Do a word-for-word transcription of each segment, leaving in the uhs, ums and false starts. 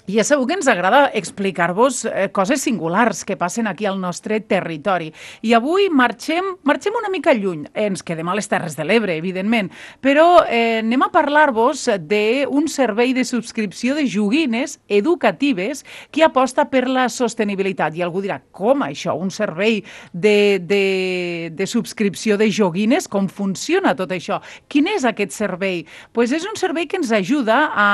I ja sabeu que ens agrada explicar-vos eh, coses singulars que passen aquí al nostre territori. I avui marxem, marxem una mica lluny. Ens quedem a les Terres de l'Ebre, evidentment, però eh, anem a parlar-vos d'un servei de subscripció de joguines educatives que aposta per la sostenibilitat. I algú dirà, com això? Un servei de, de, de subscripció de joguines? Com funciona tot això? Quin és aquest servei? Pues és un servei que ens ajuda a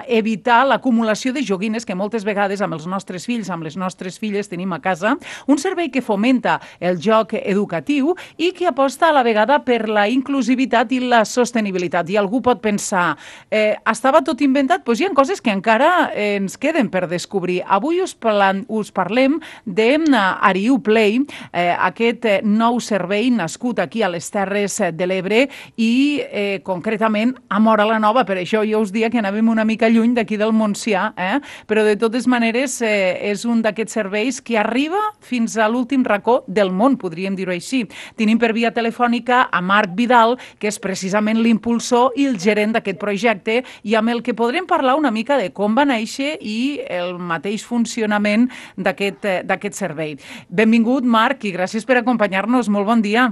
evitar l'acumulació de joguines joguines que moltes vegades amb els nostres fills, amb les nostres filles tenim a casa, un servei que fomenta el joc educatiu i que aposta a la vegada per la inclusivitat i la sostenibilitat. I algú pot pensar, eh, estava tot inventat? Doncs hi ha coses que encara eh, ens queden per descobrir. Avui us, parlam, us parlem d'Ariu Play, eh, aquest nou servei nascut aquí a les Terres de l'Ebre i eh, concretament a Móra la Nova. Per això jo us dia que anàvem una mica lluny d'aquí del Montsià, eh? Però de totes maneres eh, és un d'aquests serveis que arriba fins a l'últim racó del món, podríem dir-ho així. Tenim per via telefònica a Marc Vidal, que és precisament l'impulsor i el gerent d'aquest projecte i amb el que podrem parlar una mica de com va néixer i el mateix funcionament d'aquest servei. Benvingut, Marc, i gràcies per acompanyar-nos. Molt bon dia.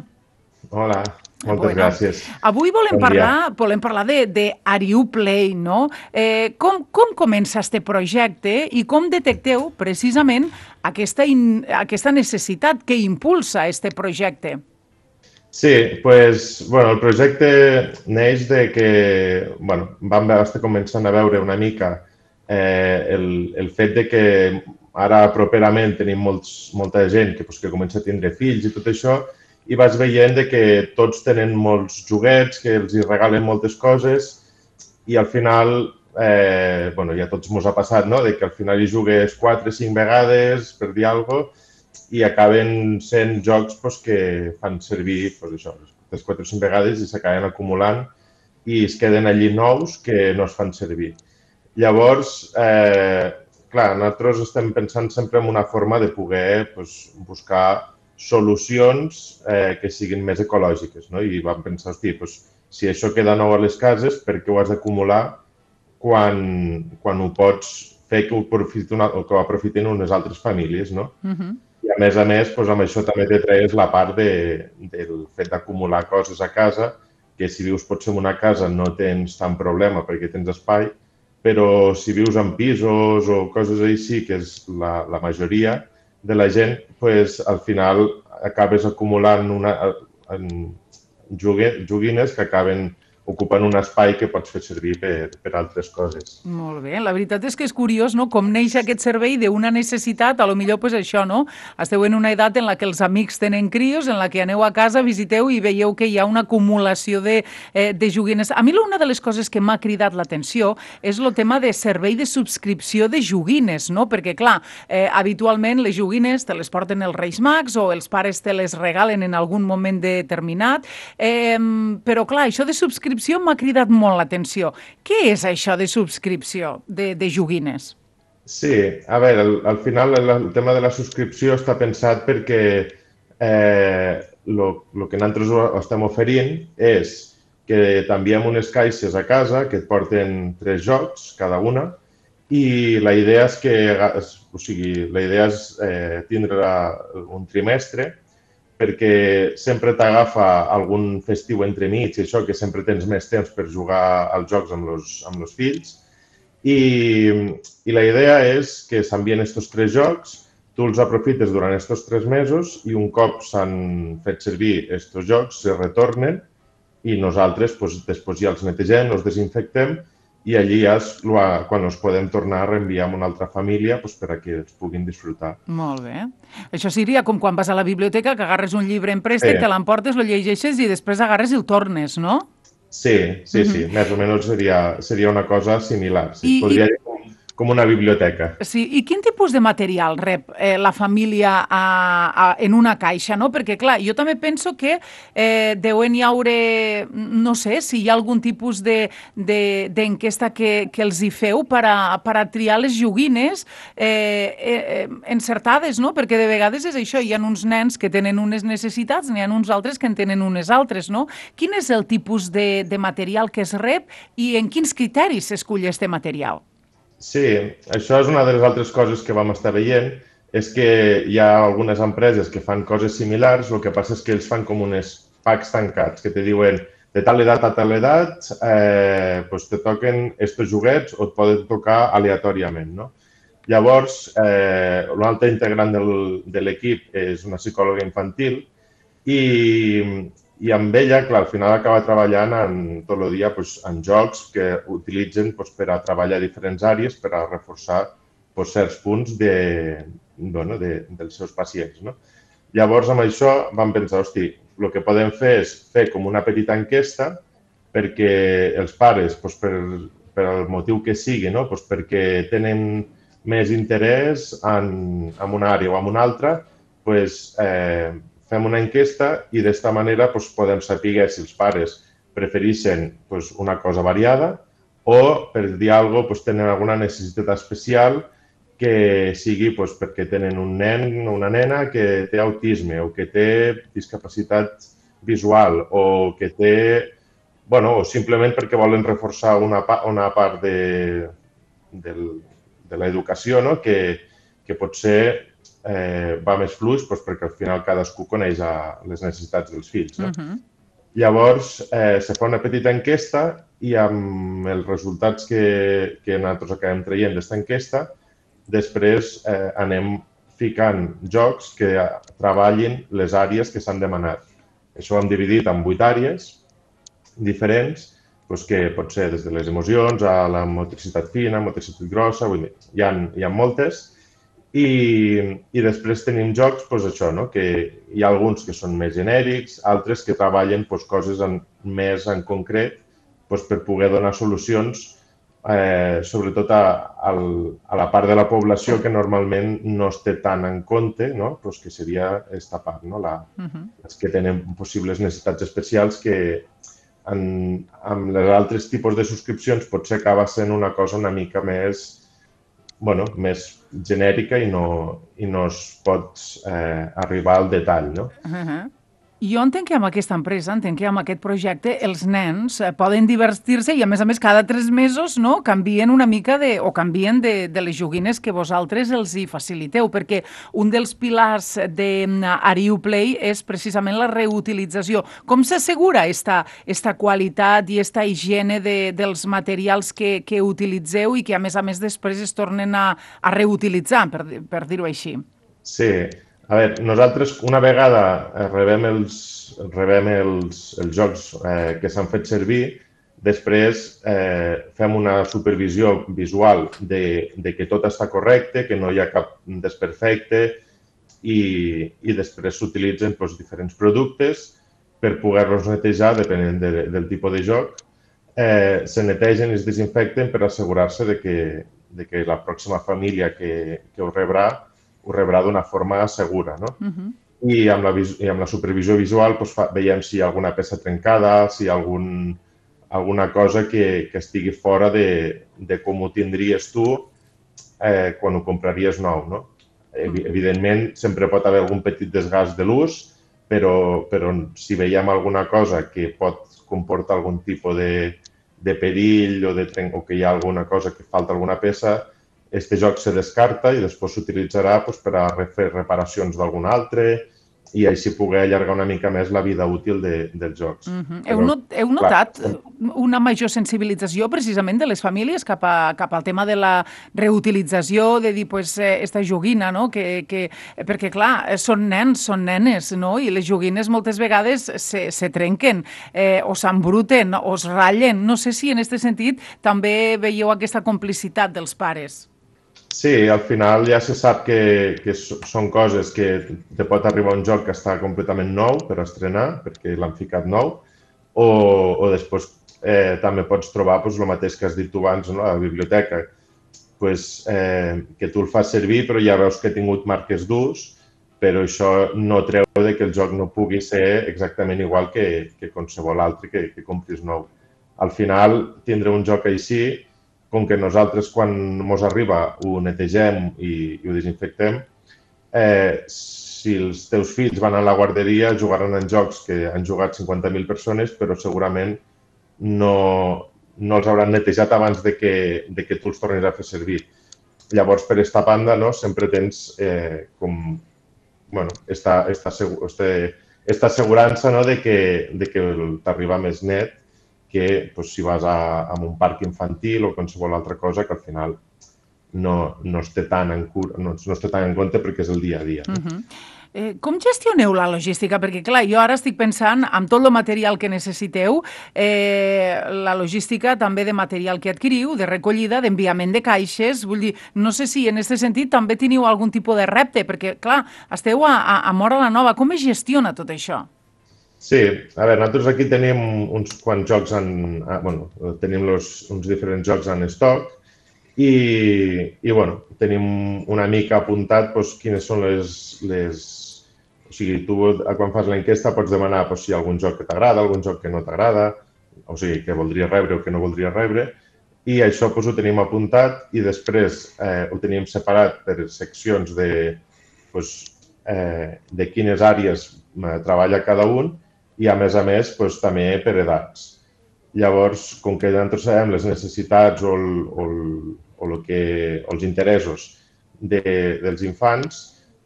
Hola. Moltes bueno, gràcies. Avui volem bon parlar, volem parlar d'Ariu Play, no? Eh, com, com comença este projecte i com detecteu precisament aquesta, in, aquesta necessitat que impulsa este projecte? Sí, pues, bueno, el projecte neix de que, bueno, vam estar començant a veure una mica eh, el, el fet de que ara properament tenim molts, molta gent que, pues, que comença a tindre fills i tot això, i vas veient que tots tenen molts joguets, que els hi regalen moltes coses i al final, eh, bueno, ja tots ens ha passat, no?, de que al final hi jugues quatre o cinc vegades per dir alguna cosa i acaben sent jocs pues, que fan servir pues, això, les quatre o cinc vegades i s'acaben acumulant i es queden allí nous que no es fan servir. Llavors, eh, clar, nosaltres estem pensant sempre en una forma de poder pues, buscar solucions eh, que siguin més ecològiques, no? I vam pensar, hosti, doncs, si això queda nou a les cases, per què ho has d'acumular quan, quan ho pots fer que ho aprofitin, o que ho aprofitin unes altres famílies, no? Uh-huh. I a més a més, doncs, amb això també te treus la part de, del fet d'acumular coses a casa, que si vius potser en una casa no tens tant problema perquè tens espai, però si vius en pisos o coses així, que és la, la majoria de la gent, pues, al final acabes acumulant una, en joguines que acaben ocupant un espai que pots fer servir per, per altres coses. Molt bé. La veritat és que és curiós, no?, com neix aquest servei d'una necessitat, a lo millor pues això, no? Esteu en una edat en la que els amics tenen crios, en la que aneu a casa, visiteu i veieu que hi ha una acumulació de, eh, de joguines. A mi una de les coses que m'ha cridat l'atenció és el tema de servei de subscripció de joguines, no? Perquè, clar, eh, habitualment les joguines te les porten els Reis Mags o els pares te les regalen en algun moment determinat, eh, però, clar, això de subscripció m'ha cridat molt l'atenció. Què és això de subscripció de, de joguines? Sí, a veure, al, al final el, el tema de la subscripció està pensat perquè eh, lo, lo que nosaltres estem oferint és que t'enviem unes caixes a casa que et porten tres jocs, cada una, i la idea és que, o sigui, la idea és eh, tindre un trimestre perquè sempre t'agafa algun festiu entremig i això, que sempre tens més temps per jugar als jocs amb els, amb els fills. I, I la idea és que s'envien aquests tres jocs, tu els aprofites durant aquests tres mesos i un cop s'han fet servir aquests jocs, se retornen i nosaltres pues, després ja els netegem, els desinfectem i allí ja és quan els podem tornar a reenviar a una altra família pues, per a que els puguin disfrutar. Molt bé. Això seria com quan vas a la biblioteca, que agarres un llibre en préstec, sí. Te l'emportes, lo llegeixes i després agarres i el tornes, no? Sí, sí, uh-huh. sí. Més o menys seria, seria una cosa similar. Sí. I, Podria dir com, com una biblioteca. Sí. I quin tipus de material rep eh, la família a, a, en una caixa, no? Perquè, clar, jo també penso que eh, deuen hi haure, no sé, si hi ha algun tipus d'enquesta de, que, que els hi feu per a, per a triar les joguines eh, eh, encertades, no? Perquè de vegades és això, hi ha uns nens que tenen unes necessitats, n'hi ha uns altres que en tenen unes altres, no? Quin és el tipus de, de material que es rep i en quins criteris s'escull este material? Sí, això és una de les altres coses que vam estar veient, és que hi ha algunes empreses que fan coses similars, el que passa és que ells fan com uns packs tancats, que te diuen de tal edat a tal edat eh, pues te toquen estos joguets o et poden tocar aleatòriament, no? Llavors, eh, un altre integrant del, de l'equip és una psicòloga infantil i, i amb ella, clar, al final acaba treballant en, tot el dia pues, en jocs que utilitzen pues, per a treballar diferents àrees per a reforçar pues, certs punts de, bueno, de, dels seus pacients. No? Llavors, amb això vam pensar, hosti, el que podem fer és fer com una petita enquesta perquè els pares, pues, per, per el motiu que sigui, no? pues perquè tenen més interès en, en una àrea o en una altra, pues, eh, fem una enquesta i d'esta manera pues, podem saber si els pares prefereixen pues, una cosa variada o, per dir alguna cosa, pues, tenen alguna necessitat especial que sigui pues, perquè tenen un nen o una nena que té autisme o que té discapacitat visual o que té, bueno, o simplement perquè volen reforçar una, una part de, del, de l'educació, no? que, que potser eh, va més fluix doncs, perquè al final cadascú coneix a les necessitats dels fills. No? Uh-huh. Llavors, eh, se fa una petita enquesta i amb els resultats que, que nosaltres acabem traient d'aquesta enquesta, després eh, anem ficant jocs que treballin les àrees que s'han demanat. Això ho hem dividit en vuit àrees diferents, doncs que pot ser des de les emocions a la motricitat fina, motricitat grossa, vull dir, hi ha, hi ha moltes. I, i després tenim jocs, doncs això, no? Que hi ha alguns que són més genèrics, altres que treballen doncs, coses en, més en concret doncs, per poder donar solucions Eh, sobretot a, a, a la part de la població que normalment no es té tant en compte, no? Pues que seria aquesta part, no? La, uh-huh. Els que tenen possibles necessitats especials que en, amb els altres tipus de subscripcions potser acaba sent una cosa una mica més, bueno, més genèrica i no, i no es pot eh, arribar al detall, no? Uh-huh. Jo entenc que amb aquesta empresa, entenc que amb aquest projecte, els nens poden divertir-se i, a més a més, cada tres mesos no, canvien una mica de, o canvien de, de les joguines que vosaltres els hi faciliteu, perquè un dels pilars d'Ariu Play és precisament la reutilització. Com s'assegura esta, esta qualitat i esta higiene de, dels materials que, que utilitzeu i que, a més a més, després es tornen a, a reutilitzar, per, per dir-ho així? Sí. A veure, nosaltres una vegada rebem els, rebem els, els jocs eh, que s'han fet servir, després eh, fem una supervisió visual de, de que tot està correcte, que no hi ha cap desperfecte i, i després s'utilitzen doncs, diferents productes per poder-los netejar depenent de, del tipus de joc. Eh, se netegen i es desinfecten per assegurar-se de que, de que la pròxima família que, que ho rebrà ho rebrà d'una forma segura, no? Uh-huh. I, amb la, I amb la supervisió visual doncs, fa, veiem si hi ha alguna peça trencada, si hi ha algun, alguna cosa que, que estigui fora de, de com ho tindries tu eh, quan ho compraries nou, no? Uh-huh. Evidentment, sempre pot haver algun petit desgast de l'ús, però, però si veiem alguna cosa que pot comportar algun tipus de, de perill o, de, o que hi ha alguna cosa que falta alguna peça, este joc se descarta i després s'utilitzarà doncs, per a fer reparacions d'algun altre i així poder allargar una mica més la vida útil de, dels jocs. Uh-huh. Heu, not, heu notat clar, una major sensibilització precisament de les famílies cap, a, cap al tema de la reutilització, de dir, pues, esta joguina, no? Que, que, perquè, clar, són nens, són nenes, no? I les joguines moltes vegades se, se trenquen eh, o s'embruten o es ratllen. No sé si en aquest sentit també veieu aquesta complicitat dels pares. Sí, al final ja se sap que, que són coses que te pot arribar un joc que està completament nou per estrenar, perquè l'han ficat nou, o, o després eh, també pots trobar pues, el mateix que has dit tu abans, no? A la biblioteca, pues, eh, que tu el fas servir però ja veus que ha tingut marques d'ús, però això no treu de que el joc no pugui ser exactament igual que, que qualsevol altre que, que compris nou. Al final, tindre un joc així, com que nosaltres quan ens arriba ho netegem i, i ho desinfectem, eh, si els teus fills van a la guarderia jugaran en jocs que han jugat cinquanta mil persones, però segurament no, no els hauran netejat abans de que, de que tu els tornis a fer servir. Llavors, per aquesta banda, no, sempre tens eh, com, bueno, esta, esta, este, esta assegurança, no, de que, de que t'arriba més net que pues, si vas a, a un parc infantil o qualsevol altra cosa que al final no, no, es té tan en cura, no, no es té tan en compte perquè és el dia a dia. No? Uh-huh. Eh, com gestioneu la logística? Perquè, clar, jo ara estic pensant amb tot el material que necessiteu, eh, la logística també de material que adquiriu, de recollida, d'enviament de caixes, vull dir, no sé si en aquest sentit també teniu algun tipus de repte, perquè, clar, esteu a, a, a Móra la Nova, com es gestiona tot això? Sí, a veure, nosaltres aquí tenim uns quants jocs en... Bueno, tenim los, uns diferents jocs en estoc i, i bueno, tenim una mica apuntat doncs, quines són les, les... O sigui, tu quan fas l'enquesta pots demanar doncs, si hi ha algun joc que t'agrada, algun joc que no t'agrada, o sigui, que voldries rebre o que no voldries rebre, i això doncs, ho tenim apuntat i després eh, ho tenim separat per seccions de, doncs, eh, de quines àrees treballa cada un i, a més a més, doncs, també per edats. Llavors, com que nosaltres sabem les necessitats o, el, o, el, o, el que, o els interessos de, dels infants,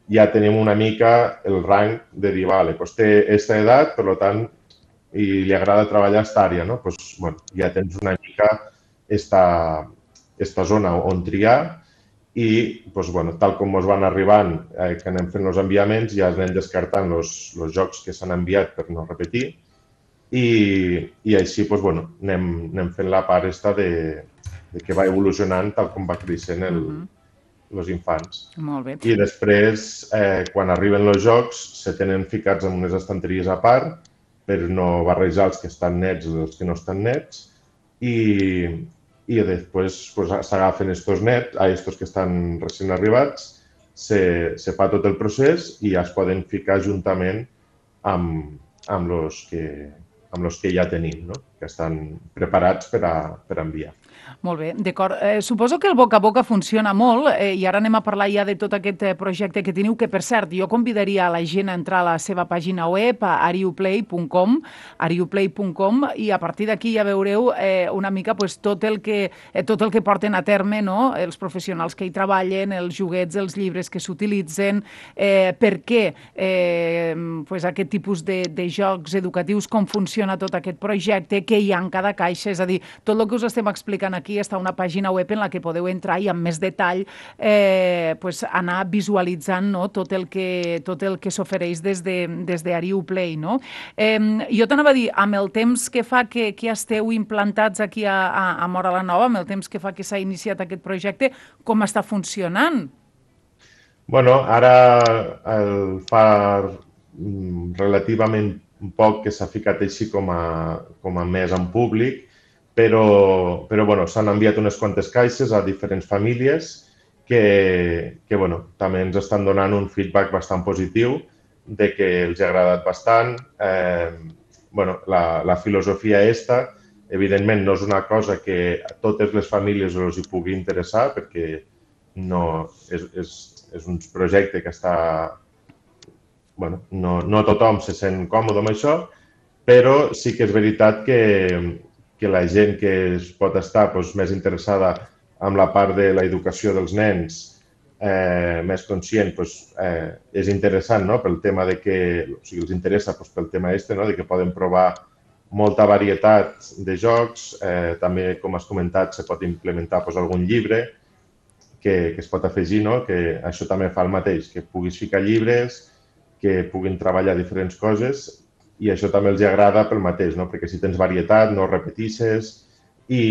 ja tenim una mica el rang de dir, vale, doncs té aquesta edat, per tant, i li agrada treballar aquesta àrea, no? Doncs, bueno, ja tens una mica esta, esta zona on triar i, doncs, bueno, tal com ens van arribant, eh, que anem fent els enviaments, ja anem descartant els jocs que s'han enviat per no repetir i, i així doncs, bueno, anem, anem fent la part esta de, de que va evolucionant tal com va creixent el, uh-huh. els infants. Molt bé. I després, eh, quan arriben els jocs, se tenen ficats en unes estanteries a part per no barrejar els que estan nets i els que no estan nets i, i després pues, s'agafen estos nets, a estos que estan recent arribats, se, se fa tot el procés i ja es poden ficar juntament amb, amb los que, amb los que ja tenim, no? Que estan preparats per a, per a enviar. Molt bé, d'acord. Eh, suposo que el boca a boca funciona molt eh, i ara anem a parlar ja de tot aquest eh, projecte que teniu, que per cert, jo convidaria a la gent a entrar a la seva pàgina web, a ariuplay punt com, ariuplay punt com, i a partir d'aquí ja veureu eh, una mica pues, tot, el que, eh, tot el que porten a terme, no? Els professionals que hi treballen, els joguets, els llibres que s'utilitzen, eh, per què eh, pues, aquest tipus de, de jocs educatius, com funciona tot aquest projecte, què hi ha en cada caixa, és a dir, tot el que us estem explicant aquí està una pàgina web en la que podeu entrar i amb més detall eh, pues anar visualitzant, no? tot el que, tot el que s'ofereix des de, des de Ariuplay. No? Eh, jo t'anava a dir, amb el temps que fa que, que esteu implantats aquí a, a, a Móra la Nova, amb el temps que fa que s'ha iniciat aquest projecte, com està funcionant? Bueno, ara el fa relativament poc que s'ha ficat així com a, com a més en públic, però, però bueno, s'han enviat unes quantes caixes a diferents famílies que, que bueno, també ens estan donant un feedback bastant positiu de que els ha agradat bastant. Eh, bueno, la, la filosofia esta, evidentment, no és una cosa que a totes les famílies els hi pugui interessar perquè no, és, és, és un projecte que està... Bueno, no, no tothom se sent còmode amb això, però sí que és veritat que que la gent que es pot estar doncs, més interessada en la part de l'educació dels nens, eh, més conscient, doncs, eh, és interessant, no? Pel tema de que, o sigui, els interessa doncs, pel tema este, no? De que poden provar molta varietat de jocs, eh, també, com has comentat, se pot implementar doncs, algun llibre que, que es pot afegir, no? Que això també fa el mateix, que puguis ficar llibres, que puguin treballar diferents coses, i això també els agrada pel mateix, no? Perquè si tens varietat, no repetisses i,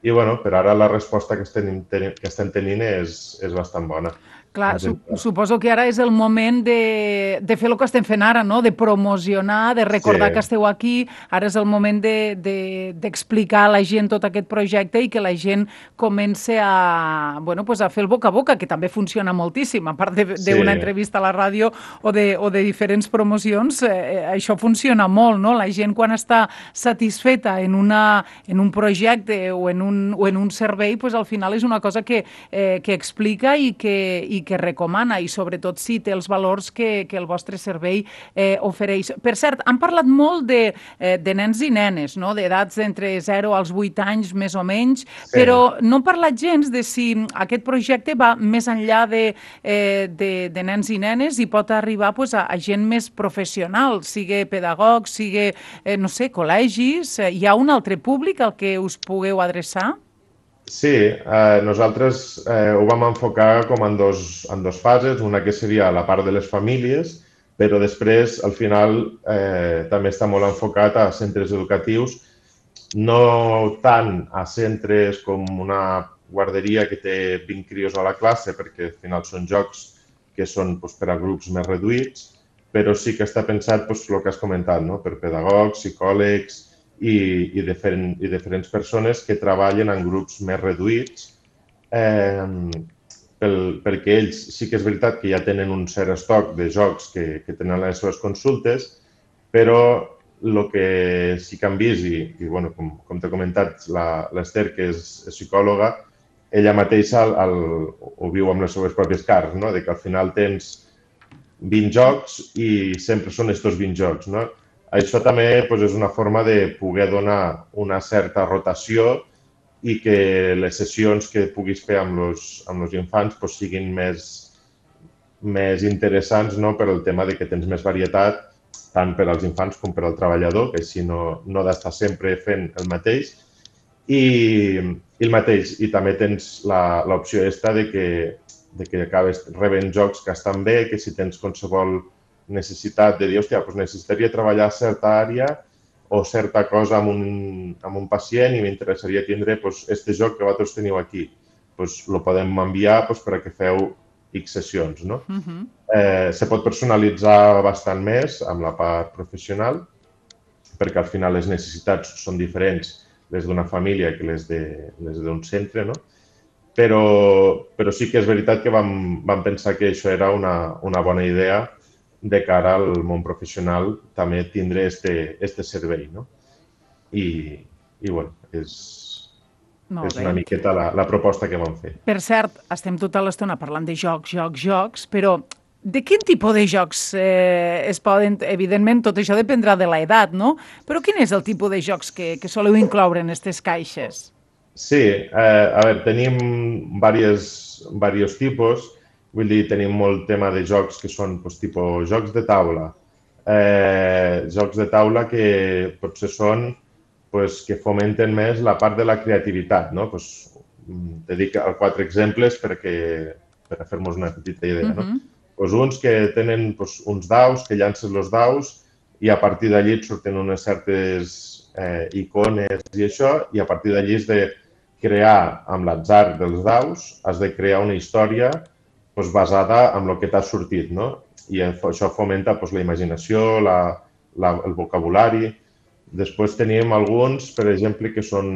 i bueno, per ara la resposta que estem, que estem tenint és, és bastant bona. Clar, su suposo que ara és el moment de, de fer el que estem fent ara, no? De promocionar, de recordar sí. que esteu aquí. Ara és el moment d'explicar de, de, a la gent tot aquest projecte i que la gent comence a, bueno, pues a fer el boca a boca, que també funciona moltíssim. A part d'una sí. entrevista a la ràdio o de, o de diferents promocions, eh, això funciona molt, no? La gent quan està satisfeta en, una, en un projecte o en un, o en un servei, pues al final és una cosa que, eh, que explica i que, i i que recomana, i sobretot si té els valors que, que el vostre servei eh, ofereix. Per cert, han parlat molt de, eh, de nens i nenes, no? D'edats d'entre zero als vuit anys, més o menys, Sí. però no han parlat gens de si aquest projecte va més enllà de, eh, de, de nens i nenes i pot arribar pues, a, a gent més professional, sigui pedagogs, sigui, eh, no sé, col·legis. Eh, hi ha un altre públic al que us pugueu adreçar? Sí, eh, nosaltres eh, ho vam enfocar com en dos, en dos fases, una que seria la part de les famílies, però després, al final, eh, també està molt enfocat a centres educatius, no tant a centres com una guarderia que té vint crios a la classe, perquè al final són jocs que són doncs, per a grups més reduïts, però sí que està pensat doncs, el que has comentat, no? Per pedagogs, psicòlegs, I, i, diferent, i diferents persones que treballen en grups més reduïts eh, pel, perquè ells sí que és veritat que ja tenen un cert estoc de jocs que, que tenen les seves consultes, però el que sí que han vist, i, i bueno, com, com t'he comentat, l'Ester, que és, és psicòloga, ella mateixa el, el, ho viu amb les seves pròpies carns, no? De que al final tens vint jocs i sempre són aquests vint jocs, no? Això també doncs, és una forma de poder donar una certa rotació i que les sessions que puguis fer amb els amb els infants doncs, siguin més, més interessants, no? Per el tema de que tens més varietat tant per als infants com per al treballador, que així no, no ha d'estar sempre fent el mateix. I, i el mateix, i també tens l'opció aquesta de que, de que acabes rebent jocs que estan bé, que si tens qualsevol necessitat de dir, hòstia, doncs necessitaria treballar certa àrea o certa cosa amb un, amb un pacient i m'interessaria tindre doncs, este joc que vosaltres teniu aquí. Doncs el podem enviar doncs, per a que feu X sessions, no? Uh-huh. eh, se pot personalitzar bastant més amb la part professional, perquè al final les necessitats són diferents, les d'una família que les d'un centre, no? Però, però sí que és veritat que vam, vam pensar que això era una, una bona idea de cara al món professional també tindre este, este servei, no? I, i bueno, és, és una miqueta la, la proposta que vam fer. Per cert, estem tota l'estona parlant de jocs, jocs, jocs, però de quin tipus de jocs eh, es poden... Evidentment, tot això dependrà de l'edat, no? Però quin és el tipus de jocs que, que soleu incloure en aquestes caixes? Sí, eh, a veure, tenim diversos, diversos tipus. Vull dir, tenim molt tema de jocs que són doncs, tipus jocs de taula. Eh, jocs de taula que potser són doncs, que fomenten més la part de la creativitat, no? Pues, te dic quatre exemples perquè, per a fer-nos una petita idea. No? Uh-huh. Pues uns que tenen pues, uns daus, que llancen els daus i a partir d'allí et surten unes certes eh, icones i això, i a partir d'allí has de crear amb l'atzar dels daus, has de crear una història doncs, basada en el que t'ha sortit, no? I això fomenta doncs, la imaginació, la, la, el vocabulari. Després tenim alguns, per exemple, que són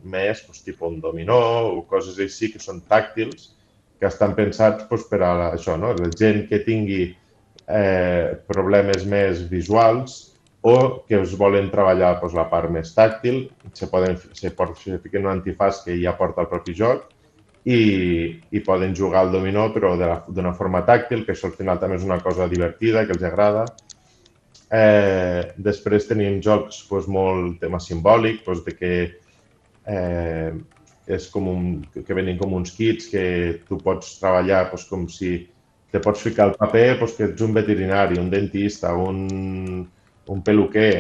més doncs, tipus un dominó o coses així, que són tàctils, que estan pensats doncs, per a això, no? La gent que tingui eh, problemes més visuals o que es volen treballar doncs, la part més tàctil, se poden se pot fer un antifàs que ja porta el propi joc, I, i poden jugar al dominó però d'una forma tàctil, que això al final també és una cosa divertida, que els agrada. Eh, després tenim jocs doncs, molt tema simbòlic, doncs, de que, eh, és com un, que venen com uns kits que tu pots treballar doncs, com si te pots ficar al paper doncs, que ets un veterinari, un dentista, un, un peluquer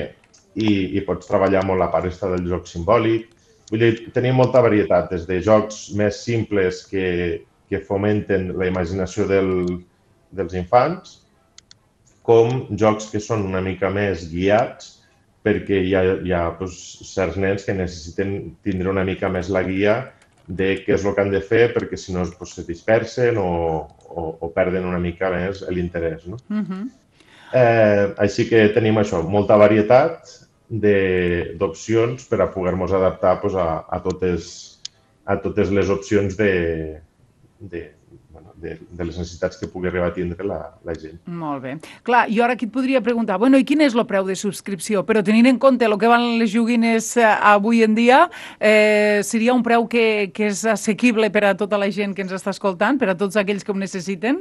i, i pots treballar molt la part del joc simbòlic. Vull dir, tenim molta varietat, des de jocs més simples que, que fomenten la imaginació del, dels infants, com jocs que són una mica més guiats, perquè hi ha, hi ha doncs, certs nens que necessiten tindre una mica més la guia de què és el que han de fer, perquè si no doncs, se dispersen o, o, o perden una mica més l'interès. No? Uh-huh. eh, així que tenim això, molta varietat d'opcions per a poder-nos adaptar doncs, a, a, totes, a totes les opcions de, de, bueno, de, de les necessitats que pugui arribar a tindre la, la gent. Molt bé. Clar, jo ara aquí et podria preguntar, bueno, i quin és el preu de subscripció? Però tenint en compte el que van les joguines eh, avui en dia, eh, seria un preu que, que és assequible per a tota la gent que ens està escoltant, per a tots aquells que ho necessiten?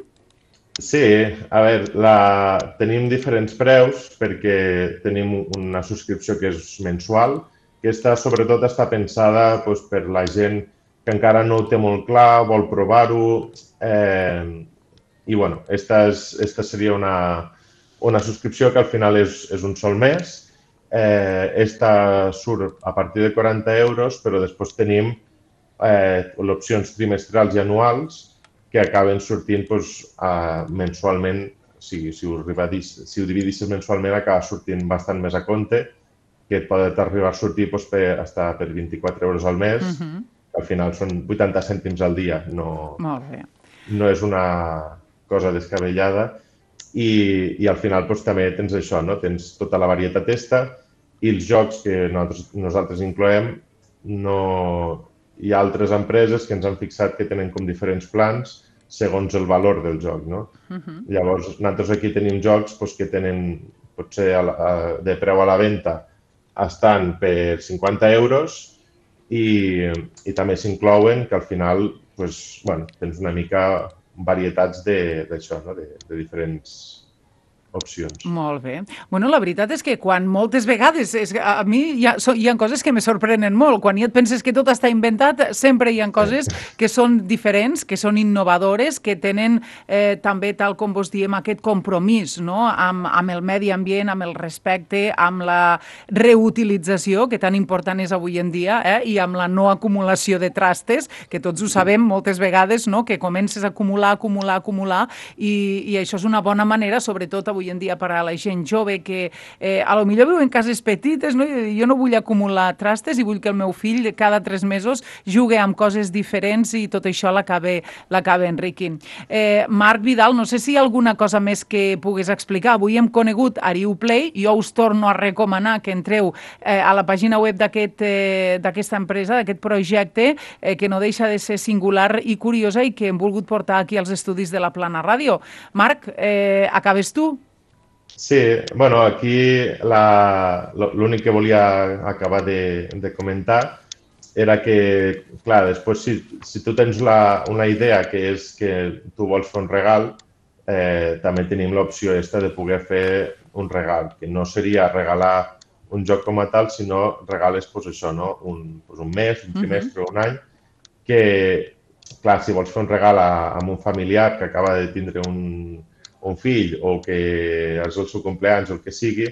Sí, a veure, la... tenim diferents preus perquè tenim una subscripció que és mensual. Aquesta, sobretot, està pensada doncs, per la gent que encara no ho té molt clar, vol provar-ho. Eh, I, bueno, esta, és, esta seria una, una subscripció que al final és, és un sol mes. Eh, esta surt a partir de quaranta euros, però després tenim eh, opcions trimestrals i anuals que acaben sortint doncs, uh, mensualment. O sigui, si ho, si ho dividissis mensualment, acaba sortint bastant més a compte, que et pot arribar a sortir doncs, per, hasta per vint-i-quatre euros al mes. Uh -huh. Al final són vuitanta cèntims al dia. No, Molt bé. No és una cosa descabellada. I, i al final doncs, també tens això, no? Tens tota la varietat esta i els jocs que nosaltres, nosaltres incloem. No... Hi ha altres empreses que ens han fixat que tenen com diferents plans segons el valor del joc, no? Uh-huh. Llavors, nosaltres aquí tenim jocs doncs, que tenen, potser a la, a, de preu a la venda, estan per cinquanta euros i, i també s'inclouen que al final doncs, bueno, tens una mica varietats d'això, no? de, de diferents opcions. Molt bé. Bueno, la veritat és que quan moltes vegades, és, a mi hi ha, so, hi ha coses que me sorprenen molt. Quan ja et penses que tot està inventat, sempre hi ha coses que són diferents, que són innovadores, que tenen eh, també, tal com vos diem, aquest compromís, no? amb, amb el medi ambient, amb el respecte, amb la reutilització, que tan important és avui en dia, eh? I amb la no acumulació de trastes, que tots ho sabem moltes vegades, no? Que comences a acumular, acumular, acumular, i, i això és una bona manera, sobretot avui avui en dia per a la gent jove que eh, a lo millor viu en cases petites, no? Jo no vull acumular trastes i vull que el meu fill cada tres mesos jugui amb coses diferents i tot això l'acaba enriquint. Eh, Marc Vidal, no sé si hi ha alguna cosa més que puguis explicar. Avui hem conegut AriuPlay, jo us torno a recomanar que entreu eh, a la pàgina web d'aquesta eh, empresa, d'aquest projecte, eh, que no deixa de ser singular i curiosa i que hem volgut portar aquí als estudis de la Plana Ràdio. Marc, eh, acabes tu? Sí, bueno, aquí l'únic que volia acabar de, de comentar era que, clar, després si, si tu tens la, una idea que és que tu vols fer un regal, eh, també tenim l'opció esta de poder fer un regal, que no seria regalar un joc com a tal, sinó regales, pues, això, no? un, pues, un mes, un trimestre, uh-huh. un any, que, clar, si vols fer un regal a, a un familiar que acaba de tindre un un fill o que és el seu compleanys o el que sigui,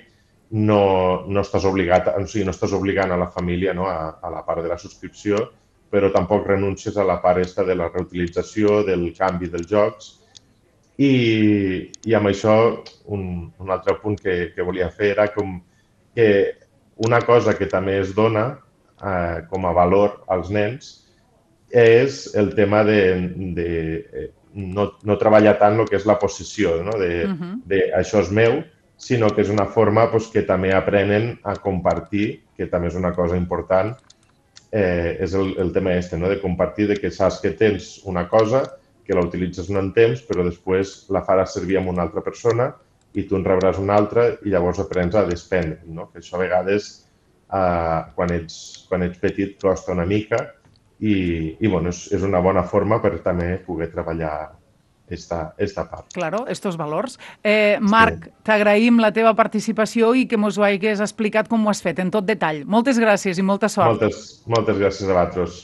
no, no, estàs, obligat, o sigui, no estàs obligant a la família, no? a, a la part de la subscripció, però tampoc renuncies a la part esta de la reutilització, del canvi dels jocs. I, i amb això, un, un altre punt que, que volia fer era com que una cosa que també es dona eh, com a valor als nens és el tema de, de No, no treballar tant el que és la possessió, no? de, uh-huh. de això és meu, sinó que és una forma pues, que també aprenen a compartir, que també és una cosa important, eh, és el, el tema este, no? de compartir, de que saps que tens una cosa, que la utilitzes un temps, però després la faràs servir amb una altra persona i tu en rebràs una altra i llavors aprens a despendre. No? Que això a vegades, eh, quan, ets, quan ets petit, costa una mica, i, i bueno, és, és una bona forma per també poder treballar esta, esta part. Claro, estos valors. Eh, Marc, sí. T'agraïm la teva participació i que mos ho hagués explicat com ho has fet en tot detall. Moltes gràcies i molta sort. Moltes, moltes gràcies a vosaltres.